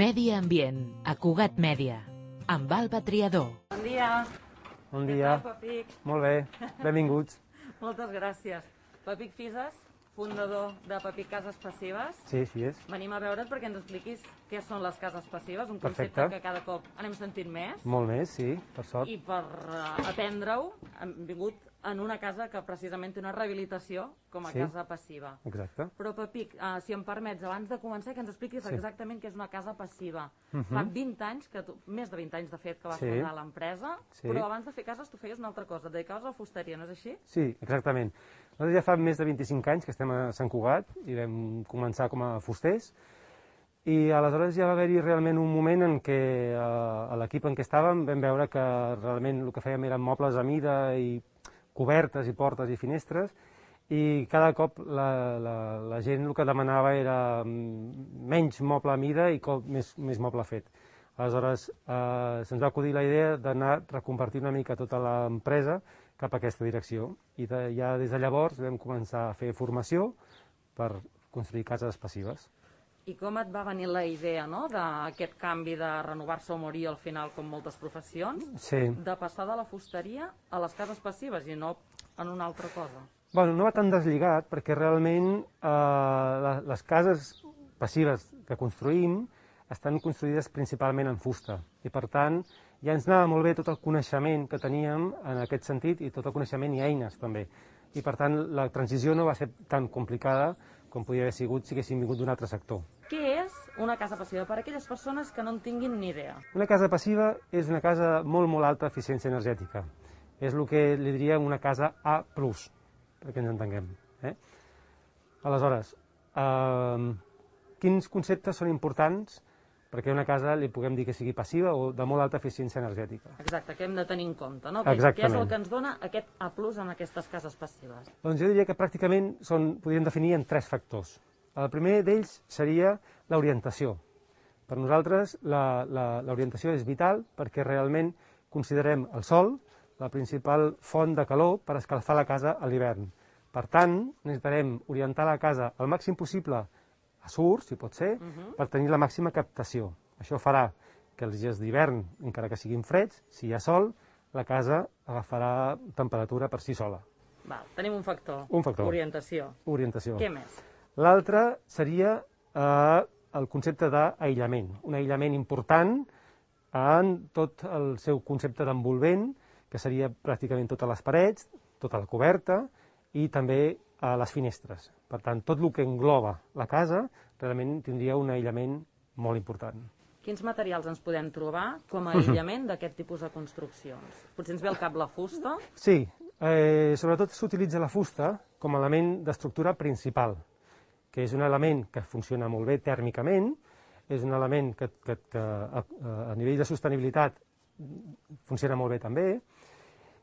Medi ambient, a Cugat Mèdia, amb Alba Triador. Bon dia. Bon dia. Què tal, Pepic? Molt bé, benvinguts. Moltes gràcies. Pepic Fises, fundador de Pepic Cases Passives. Sí, així és. Venim a veure't perquè ens expliquis què són les cases passives, un Perfecte. concepte que cada cop anem sentint més. Molt més, sí, per sort. I per aprendre-ho hem vingut en una casa que precisament té una rehabilitació com a Sí. casa passiva. Exacte. Però, Pepic, si em permets, abans de començar, que ens expliquis Sí. exactament què és una casa passiva. Fa 20 anys, més de 20 anys, de fet, que vas Sí. fundar l'empresa, Sí. però abans de fer cases tu feies una altra cosa, et dedicaves a la fusteria, no és així? Sí, exactament. Nosaltres ja fa més de 25 anys que estem a Sant Cugat i vam començar com a fusters i aleshores ja va haver-hi realment un moment en què a l'equip en què estàvem vam veure que realment el que fèiem eren mobles a mida i cobertes i portes i finestres i cada cop la gent el que demanava era menys moble a mida i més moble fet. Aleshores se'ns va acudir la idea d'anar reconvertint una mica tota l'empresa cap a aquesta direcció i ja des de llavors vam començar a fer formació per construir cases passives. I com et va venir la idea, no?, d'aquest canvi de renovar-se o morir al final, com moltes professions, Sí. de passar de la fusteria a les cases passives i no en una altra cosa? Bueno, no va tan deslligat perquè realment les cases passives que construïm estan construïdes principalment en fusta i per tant ja ens anava molt bé tot el coneixement que teníem en aquest sentit i tot el coneixement i eines també. I per tant la transició no va ser tan complicada com podia haver sigut si haguéssim vingut d'un altre sector. Què és una casa passiva per a aquelles persones que no en tinguin ni idea? Una casa passiva és una casa de molt alta eficiència energètica. És el que li diríem una casa A+, perquè ens entenguem. Aleshores, quins conceptes són importants perquè a una casa li puguem dir que sigui passiva o de molt alta eficiència energètica? Exacte, que hem de tenir en compte, no? Exactament. Què és el que ens dona aquest A+ en aquestes cases passives? Doncs jo diria que pràcticament podríem definir en 3 factors. El primer d'ells seria l'orientació. Per nosaltres l'orientació és vital perquè realment considerem el sol la principal font de calor per escalfar la casa a l'hivern. Per tant, necessitarem orientar la casa al màxim possible a sur, si pot ser, per tenir la màxima captació. Això farà que els dies d'hivern, encara que siguin freds, si hi ha sol, la casa agafarà temperatura per si sola. Val, tenim un factor. Un factor. Orientació. Orientació. Què més? L'altre seria el concepte d'aïllament. Un aïllament important en tot el seu concepte d'envolvent, que seria pràcticament totes les parets, tota la coberta i també a les finestres. Per tant, tot el que engloba la casa realment tindria un aïllament molt important. Quins materials ens podem trobar com a aïllament d'aquest tipus de construccions? Potser ens ve al cap la fusta? Sí, sobretot s'utilitza la fusta com a element d'estructura principal, que és un element que funciona molt bé tèrmicament, és un element que a nivell de sostenibilitat funciona molt bé també,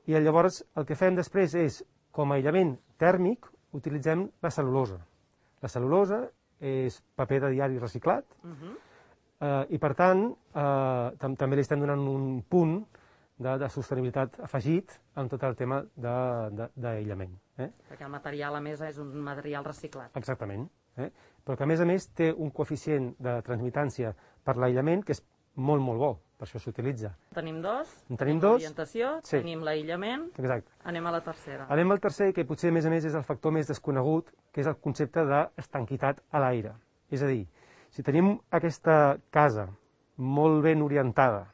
i llavors el que fem després és, com a aïllament tèrmic, utilitzem la cel·lulosa. La cel·lulosa és paper de diari reciclat i, per tant, també li estem donant un punt de sostenibilitat afegit en tot el tema d'aïllament. Perquè el material, a més, és un material reciclat. Exactament. Però que, a més, té un coeficient de transmitància per l'aïllament que és molt bo, per això s'utilitza. Tenim dos, Tenim dos. l'orientació, Sí. tenim l'aïllament, Exacte. anem a la tercera. Anem al tercer, que potser, a més, és el factor més desconegut, que és el concepte d'estanquitat a l'aire. És a dir, si tenim aquesta casa molt ben orientada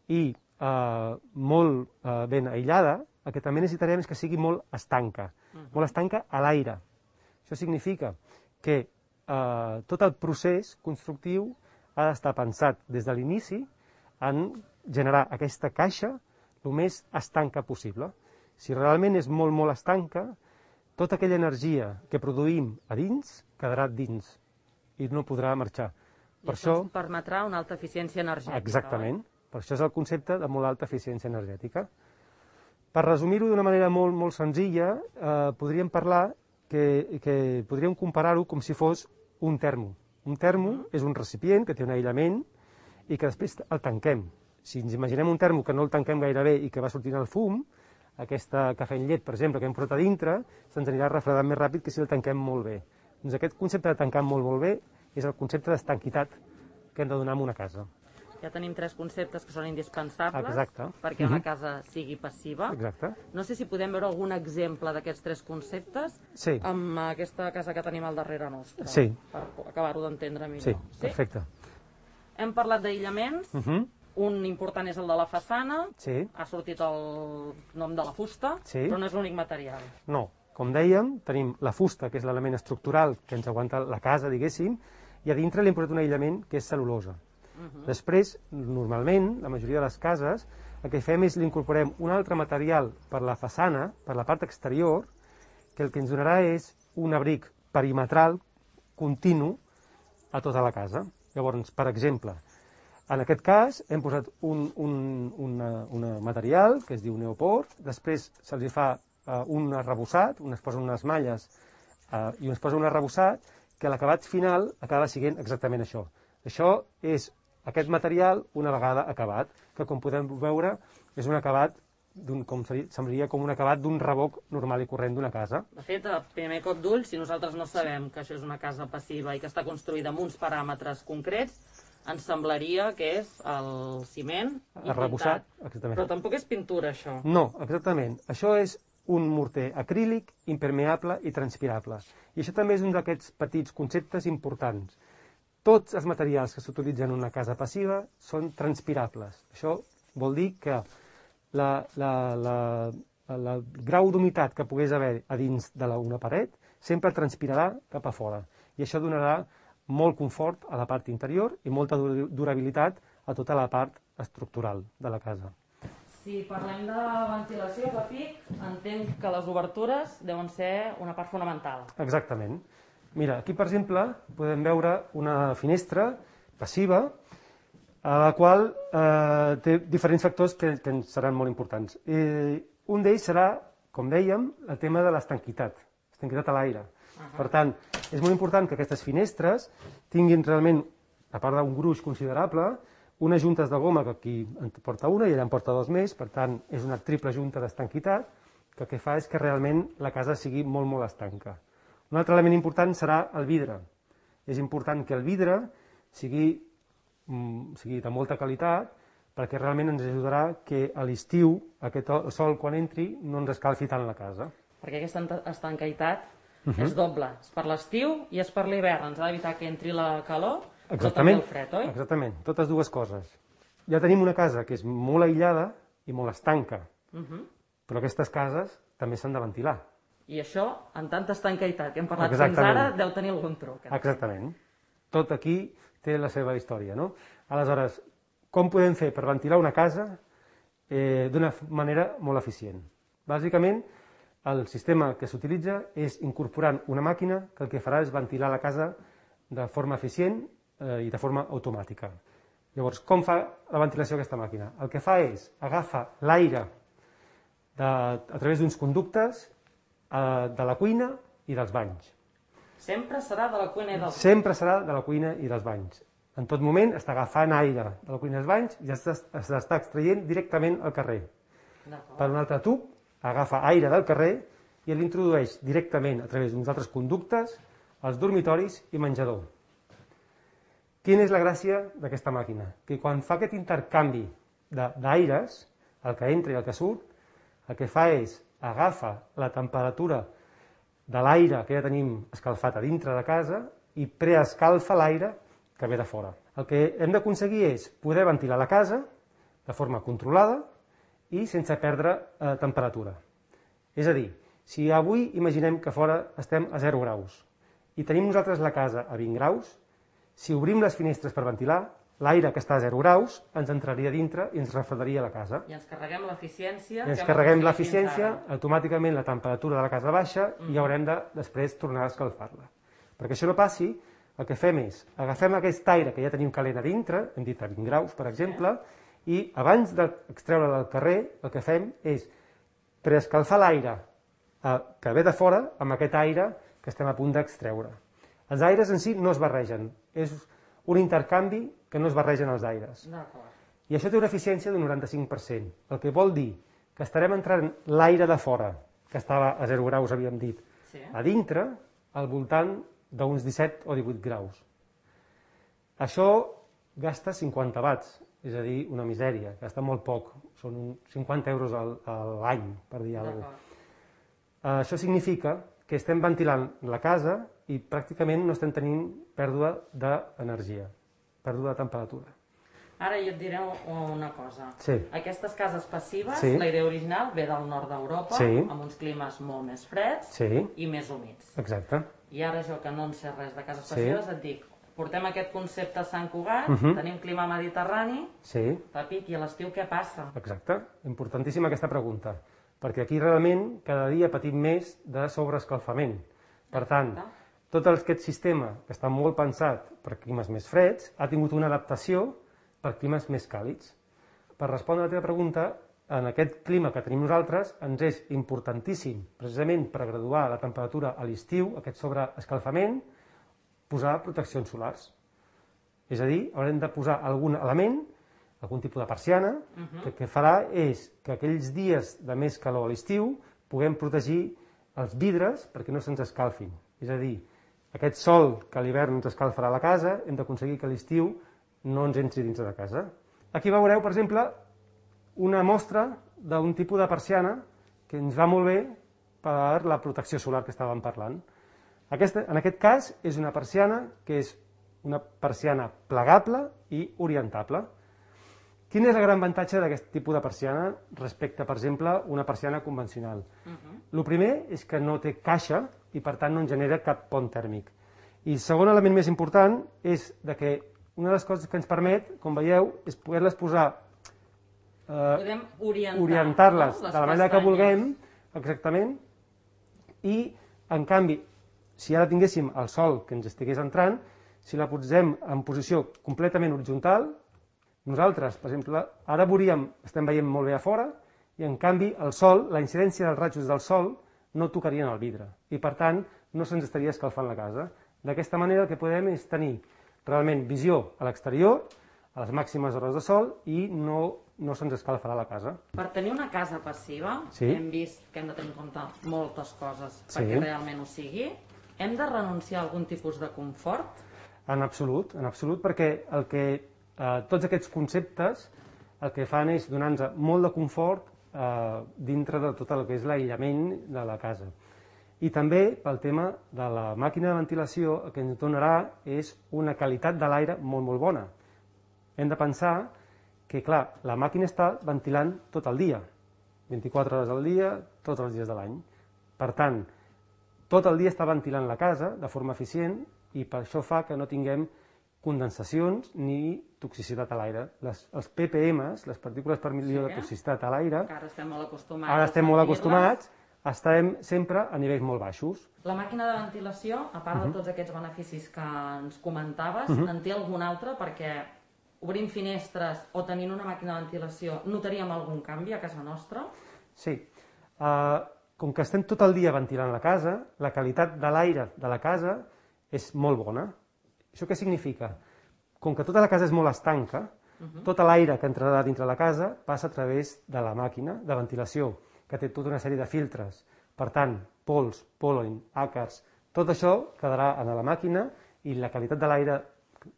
i molt ben aïllada, el que també necessitarem és que sigui molt estanca. Molt estanca a l'aire. Això significa que tot el procés constructiu ha d'estar pensat des de l'inici en generar aquesta caixa el més estanca possible. Si realment és molt estanca, tota aquella energia que produïm a dins quedarà dins i no podrà marxar. I això ens permetrà una alta eficiència energètica. Exactament. Per això és el concepte de molt alta eficiència energètica. Per resumir-ho d'una manera molt senzilla, podríem parlar que podríem comparar-ho com si fos un termo. Un termo és un recipient que té un aïllament i que després el tanquem. Si ens imaginem un termo que no el tanquem gaire bé i que va sortint el fum, aquesta cafè en llet, per exemple, que hem frotat a dintre, se'ns anirà refredant més ràpid que si el tanquem molt bé. Doncs aquest concepte de tancar molt bé és el concepte d'estanquitat que hem de donar a una casa. Ja tenim 3 conceptes que són indispensables perquè una casa sigui passiva. Exacte. No sé si podem veure algun exemple d'aquests 3 conceptes amb aquesta casa que tenim al darrere nostre, per acabar-ho d'entendre millor. Sí, perfecte. Hem parlat d'aïllaments, un important és el de la façana, ha sortit el nom de la fusta, però no és l'únic material. No, com dèiem, tenim la fusta, que és l'element estructural que ens aguanta la casa, diguéssim, i a dintre li hem posat un aïllament que és cel·lulosa. Després, normalment, la majoria de les cases, el que fem és li incorporem un altre material per la façana, per la part exterior, que el que ens donarà és un abric perimetral continu a tota la casa. Llavors, per exemple, en aquest cas hem posat un material que es diu neopor, després se'ls fa un arrebossat, es posen unes malles i es posa un arrebossat, que l'acabat final acaba sent exactament això. Això és aquest material una vegada acabat, que com podem veure és un acabat, semblaria com un acabat d'un revoc normal i corrent d'una casa. De fet, a primer cop d'ull, si nosaltres no sabem que això és una casa passiva i que està construïda amb uns paràmetres concrets, ens semblaria que és el ciment i arrebossat, pintat. Però tampoc és pintura, això. No, exactament. Això és un morter acrílic, impermeable i transpirable. I això també és un d'aquests petits conceptes importants. Tots els materials que s'utilitzen en una casa passiva són transpirables. Això vol dir que el grau d'humitat que pogués haver a dins d'una paret sempre transpirarà cap a fora. I això donarà molt confort a la part interior i molta durabilitat a tota la part estructural de la casa. Si parlem de ventilació, Papic, entenc que les obertures deuen ser una part fonamental. Exactament. Mira, aquí, per exemple, podem veure una finestra passiva a la qual té diferents factors que ens seran molt importants. Un d'ells serà, com dèiem, el tema de l'estanquitat a l'aire. Per tant, és molt important que aquestes finestres tinguin realment, a part d'un gruix considerable, unes juntes de goma, que aquí en porta una i allà en porta 2 més, per tant, és una triple junta d'estanquitat, que el que fa és que realment la casa sigui molt, molt estanca. Un altre element important serà el vidre. És important que el vidre sigui de molta qualitat perquè realment ens ajudarà que a l'estiu aquest sol quan entri no ens escalfi tant la casa. Perquè aquesta estanquitat és doble. És per l'estiu i és per l'hivern. Ens ha d'evitar que entri la calor però també el fred, oi? Exactament, totes dues coses. Ja tenim una casa que és molt aïllada i molt estanca, però aquestes cases també s'han de ventilar. I això, en tanta estanquitat que hem parlat fins ara, deu tenir algun truc. Exactament. Tot aquí té la seva història, no? Aleshores, com podem fer per ventilar una casa d'una manera molt eficient? Bàsicament, el sistema que s'utilitza és incorporant una màquina que el que farà és ventilar la casa de forma eficient i de forma automàtica. Llavors, com fa la ventilació aquesta màquina? El que fa és agafa l'aire a través d'uns conductes de la cuina i dels banys. Sempre serà de la cuina i dels banys? Sempre serà de la cuina i dels banys. En tot moment està agafant aire de la cuina i dels banys i s'està extraient directament al carrer. Per un altre tub, agafa aire del carrer i l'introdueix directament a través d'uns altres conductes als dormitoris i menjador. Quina és la gràcia d'aquesta màquina? Que quan fa aquest intercanvi d'aires, el que entra i el que surt, el que fa és agafa la temperatura de l'aire que ja tenim escalfat a dintre de casa i preescalfa l'aire que ve de fora. El que hem d'aconseguir és poder ventilar la casa de forma controlada i sense perdre temperatura. És a dir, si avui imaginem que fora estem a 0 graus i tenim nosaltres la casa a 20 graus, si obrim les finestres per ventilar, l'aire que està a 0 graus ens entraria dintre i ens refredaria la casa. I ens carreguem l'eficiència. I ens carreguem l'eficiència, automàticament la temperatura de la casa baixa i haurem de després tornar a escalfar-la. Perquè això no passi, el que fem és, agafem aquest aire que ja tenim calent a dintre, hem dit a 20 graus, per exemple, i abans d'extreure'l al carrer, el que fem és preescalfar l'aire que ve de fora amb aquest aire que estem a punt d'extreure. Els aires en si no es barregen, és un intercanvi que no es barregen els aires. I això té una eficiència d'un 95%, el que vol dir que estarem entrant l'aire de fora, que estava a 0 graus, havíem dit, a dintre, al voltant d'uns 17 o 18 graus. Això gasta 50 watts, és a dir, una misèria, gasta molt poc, són 50 euros a l'any, per dir alguna cosa. Això significa que estem ventilant la casa i pràcticament no estem tenint pèrdua d'energia, pèrdua de temperatura. Ara jo et diré una cosa. Sí. Aquestes cases passives, Sí. la idea original ve del nord d'Europa, Sí. amb uns climes molt més freds Sí. i més humits. Exacte. I ara jo, que no en sé res de cases Sí. passives, et dic, portem aquest concepte a Sant Cugat, tenim clima mediterrani, Sí. Papic, i a l'estiu què passa? Exacte. Importantíssima aquesta pregunta, perquè aquí realment cada dia patim més de sobreescalfament. Per tant, tot aquest sistema, que està molt pensat per climes més freds, ha tingut una adaptació per climes més càlids. Per respondre a la teva pregunta, en aquest clima que tenim nosaltres, ens és importantíssim, precisament per graduar la temperatura a l'estiu, aquest sobreescalfament, posar proteccions solars. És a dir, haurem de posar algun element, algun tipus de persiana, que el que farà és que aquells dies de més calor a l'estiu puguem protegir els vidres perquè no se'ns escalfin. És a dir, aquest sol que a l'hivern ens escalfarà la casa, hem d'aconseguir que a l'estiu no ens entri dins de casa. Aquí veureu, per exemple, una mostra d'un tipus de persiana que ens va molt bé per la protecció solar que estàvem parlant. En aquest cas és una persiana que és una persiana plegable i orientable. Quin és el gran avantatge d'aquest tipus de persiana respecte, per exemple, una persiana convencional? El primer és que no té caixa i, per tant, no ens genera cap pont tèrmic. I el segon element més important és que una de les coses que ens permet, com veieu, és poder-les posar, Podem orientar-les de la manera que vulguem, exactament, i, en canvi, si ara tinguéssim el sol que ens estigués entrant, si la posem en posició completament horitzontal, nosaltres, per exemple, ara estem veient molt bé a fora, i en canvi el sol, la incidència dels rajos del sol, no tocarien el vidre, i per tant no se'ns estaria escalfant la casa. D'aquesta manera el que podem és tenir realment visió a l'exterior, a les màximes hores de sol, i no se'ns escalfarà la casa. Per tenir una casa passiva, hem vist que hem de tenir en compte moltes coses perquè realment ho sigui. Hem de renunciar a algun tipus de confort? En absolut, perquè tots aquests conceptes el que fan és donar-nos molt de confort dintre de tot el que és l'aïllament de la casa. I també pel tema de la màquina de ventilació el que ens donarà és una qualitat de l'aire molt, molt bona. Hem de pensar que, clar, la màquina està ventilant tot el dia, 24 hores al dia, tots els dies de l'any. Per tant, tot el dia està ventilant la casa de forma eficient i per això fa que no tinguem condensacions ni toxicitat a l'aire. Els ppms, les partícules per milió de toxicitat a l'aire, ara estem molt acostumats, estarem sempre a nivells molt baixos. La màquina de ventilació, a part de tots aquests beneficis que ens comentaves, en té algun altre? Perquè obrint finestres o tenint una màquina de ventilació notaríem algun canvi a casa nostra? Sí. Com que estem tot el dia ventilant la casa, la qualitat de l'aire de la casa és molt bona. Això què significa? Com que tota la casa és molt estanca, tot l'aire que entrarà dintre la casa passa a través de la màquina de ventilació, que té tota una sèrie de filtres. Per tant, pols, pol·len, àcars, tot això quedarà a la màquina i la qualitat de l'aire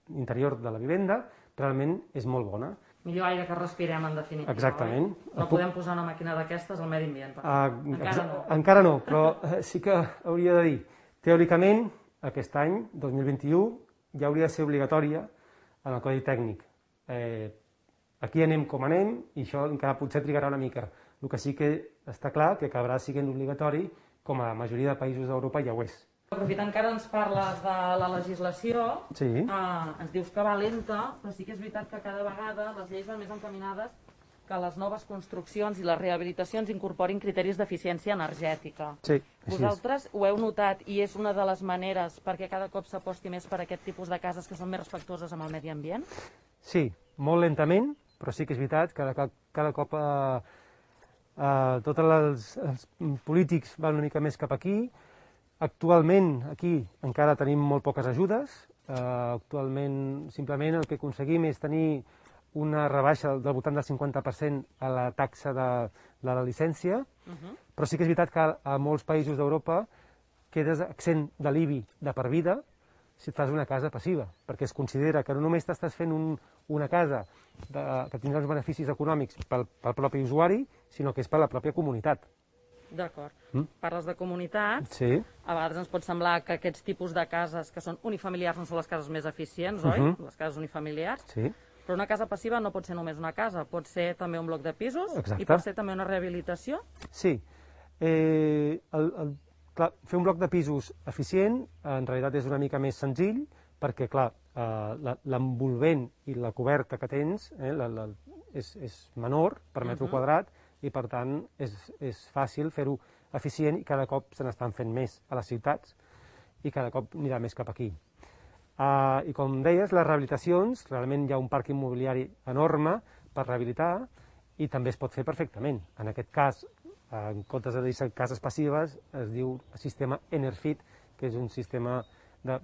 interior de la vivenda realment és molt bona. Millor aire que respirem, en definitiva. Exactament. No podem posar una màquina d'aquestes al medi ambient. Encara no. Encara no, però sí que hauria de dir, teòricament, aquest any, 2021, ja hauria de ser obligatòria en el codi tècnic. Aquí anem com anem i això encara potser trigarà una mica. El que sí que està clar que acabarà sent obligatori, com a la majoria de països d'Europa ja ho és. Aprofitant que ara ens parles de la legislació, Sí. Ens dius que va lenta, però sí que és veritat que cada vegada les lleis van més encaminades que les noves construccions i les rehabilitacions incorporin criteris d'eficiència energètica. Sí, així és. Vosaltres ho heu notat i és una de les maneres perquè cada cop s'aposti més per aquest tipus de cases que són més respectuoses amb el medi ambient? Sí, molt lentament, però sí que és veritat que cada cop tots els polítics van una mica més cap aquí. Actualment, aquí encara tenim molt poques ajudes. Actualment, simplement, el que aconseguim és tenir una rebaixa del voltant del 50% a la taxa de la llicència, però sí que és veritat que a molts països d'Europa quedes exempt de l'IBI de per vida si et fas una casa passiva, perquè es considera que no només t'estàs fent una casa que tindrà uns beneficis econòmics pel propi usuari, sinó que és per la pròpia comunitat. D'acord. Parles de comunitats. Sí. A vegades ens pot semblar que aquests tipus de cases que són unifamiliars no són les cases més eficients, oi? Les cases unifamiliars. Sí. Però una casa passiva no pot ser només una casa, pot ser també un bloc de pisos. Exacte. I pot ser també una rehabilitació. Sí. Clar, fer un bloc de pisos eficient en realitat és una mica més senzill perquè, clar, l'envolvent i la coberta que tens és menor per metre quadrat i, per tant, és fàcil fer-ho eficient i cada cop se n'estan fent més a les ciutats i cada cop anirà més cap aquí. I com deies, les rehabilitacions, realment hi ha un parc immobiliari enorme per rehabilitar i també es pot fer perfectament. En aquest cas, en comptes de dir-se cases passives, es diu sistema Enerfit, que és un sistema de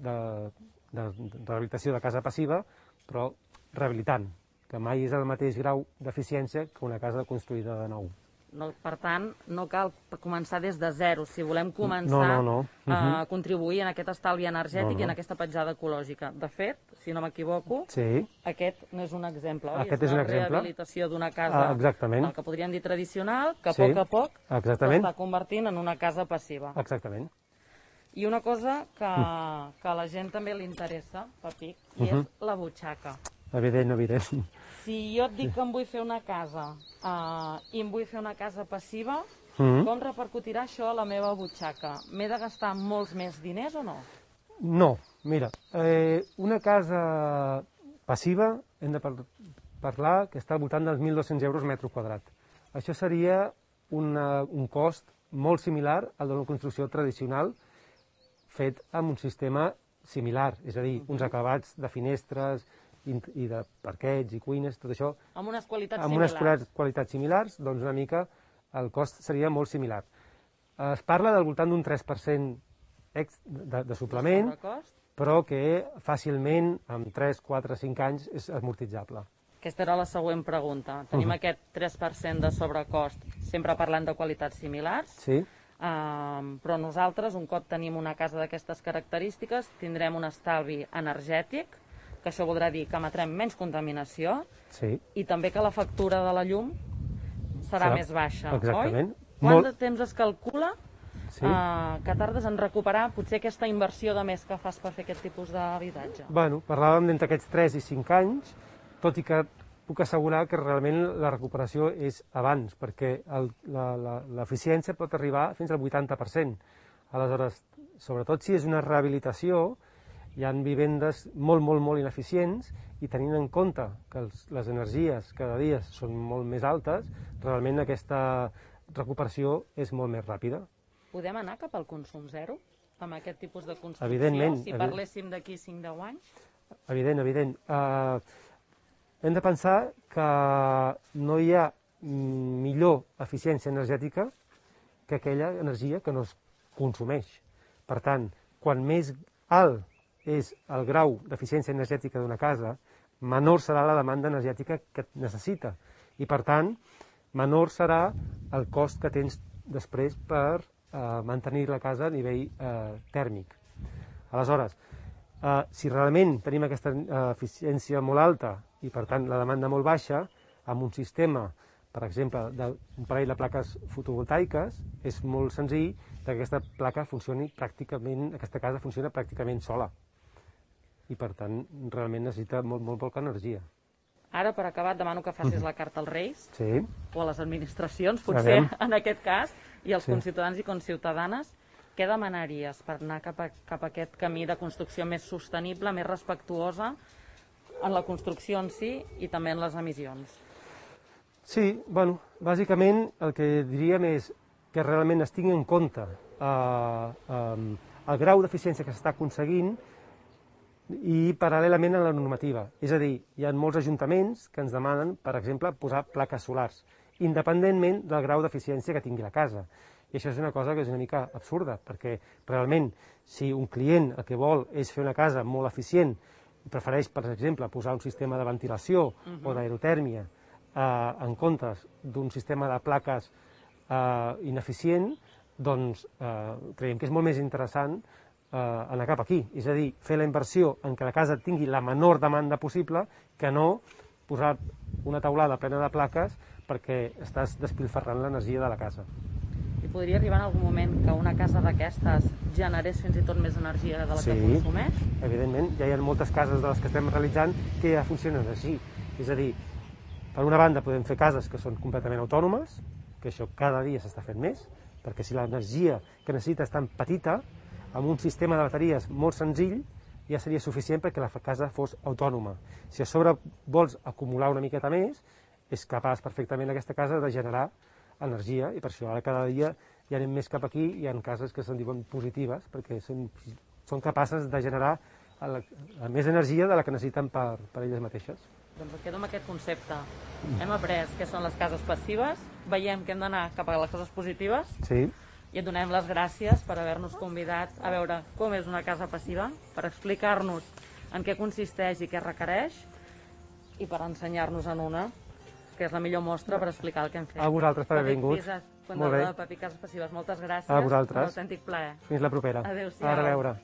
rehabilitació de casa passiva, però rehabilitant, que mai és el mateix grau d'eficiència que una casa construïda de nou. No, per tant, no cal començar des de zero. Si volem començar a contribuir en aquest estalvi energètic i en aquesta petjada ecològica. De fet, si no m'equivoco, aquest n'és un exemple, oi? Aquest és un exemple. La rehabilitació d'una casa, el que podríem dir tradicional, que a poc s'està convertint en una casa passiva. Exactament. I una cosa que a la gent també li interessa, Papic, i és la butxaca. Evident. Si jo et dic que em vull fer una casa i em vull fer una casa passiva, com repercutirà això a la meva butxaca? M'he de gastar molts més diners o no? No, mira, una casa passiva hem de parlar que està al voltant dels 1.200 euros metre quadrat. Això seria un cost molt similar al d'una construcció tradicional fet amb un sistema similar, és a dir, uns acabats de finestres i de parquets i cuines, tot això. Amb unes qualitats similars. Amb unes qualitats similars, doncs una mica el cost seria molt similar. Es parla del voltant d'un 3% de suplement, però que fàcilment, amb 3, 4, 5 anys, és amortitzable. Aquesta era la següent pregunta. Tenim aquest 3% de sobrecost, sempre parlant de qualitats similars, però nosaltres, un cop tenim una casa d'aquestes característiques, tindrem un estalvi energètic, que això voldrà dir que emetrem menys contaminació i també que la factura de la llum serà més baixa, oi? Quant de temps es calcula que tardes en recuperar potser aquesta inversió de més que fas per fer aquest tipus d'habitatge? Bueno, parlàvem d'entre aquests 3 i 5 anys, tot i que puc assegurar que realment la recuperació és abans, perquè l'eficiència pot arribar fins al 80%. Aleshores, sobretot si és una rehabilitació, hi ha vivendes molt ineficients i tenint en compte que les energies cada dia són molt més altes, realment aquesta recuperació és molt més ràpida. Podem anar cap al consum zero amb aquest tipus de construcció? Evidentment. Si parléssim d'aquí 5-10 anys? Evident. Hem de pensar que no hi ha millor eficiència energètica que aquella energia que no es consumeix. Per tant, quan més alt és el grau d'eficiència energètica d'una casa, menor serà la demanda energètica que necessita. I, per tant, menor serà el cost que tens després per mantenir la casa a nivell tèrmic. Aleshores, si realment tenim aquesta eficiència molt alta i, per tant, la demanda molt baixa, amb un sistema, per exemple, d'un parell de plaques fotovoltaiques, és molt senzill que aquesta placa funcioni pràcticament, aquesta casa funciona pràcticament sola. I, per tant, realment necessita molt poca energia. Ara, per acabar, et demano que facis la carta als Reis, sí, o a les administracions, potser, en aquest cas, i als conciutadans i conciutadanes. Què demanaries per anar cap a aquest camí de construcció més sostenible, més respectuosa en la construcció en si i també en les emissions? Sí, bueno, bàsicament el que diríem és que realment es tingui en compte el grau d'eficiència que s'està aconseguint i paral·lelament a la normativa. És a dir, hi ha molts ajuntaments que ens demanen, per exemple, posar plaques solars, independentment del grau d'eficiència que tingui la casa. I això és una cosa que és una mica absurda, perquè realment, si un client el que vol és fer una casa molt eficient, i prefereix, per exemple, posar un sistema de ventilació o d'aerotèrmia en comptes d'un sistema de plaques ineficient, doncs creiem que és molt més interessant anar cap aquí. És a dir, fer la inversió en que la casa tingui la menor demanda possible que no posar una taulada plena de plaques perquè estàs despilfarrant l'energia de la casa. I podria arribar en algun moment que una casa d'aquestes generés fins i tot més energia de la que consumeix? Sí, evidentment. Ja hi ha moltes cases de les que estem realitzant que ja funcionen així. És a dir, per una banda podem fer cases que són completament autònomes, que això cada dia s'està fent més, perquè si l'energia que necessita és tan petita, amb un sistema de bateries molt senzill, ja seria suficient perquè la casa fos autònoma. Si a sobre vols acumular una miqueta més, és capaç perfectament aquesta casa de generar energia, i per això ara cada dia ja anem més cap aquí, hi ha cases que se'n diuen positives, perquè són capaces de generar més energia de la que necessiten per elles mateixes. Doncs em quedo amb aquest concepte. Hem après què són les cases passives, veiem que hem d'anar cap a les cases positives, i et donem les gràcies per haver-nos convidat a veure com és una casa passiva, per explicar-nos en què consisteix i què requereix, i per ensenyar-nos en una, que és la millor mostra per explicar el que hem fet. A vosaltres per haver vingut. Molt bé. Papi Cases Passives, moltes gràcies. A vosaltres. Un autèntic plaer. Fins la propera. Adéu-siau. A reveure.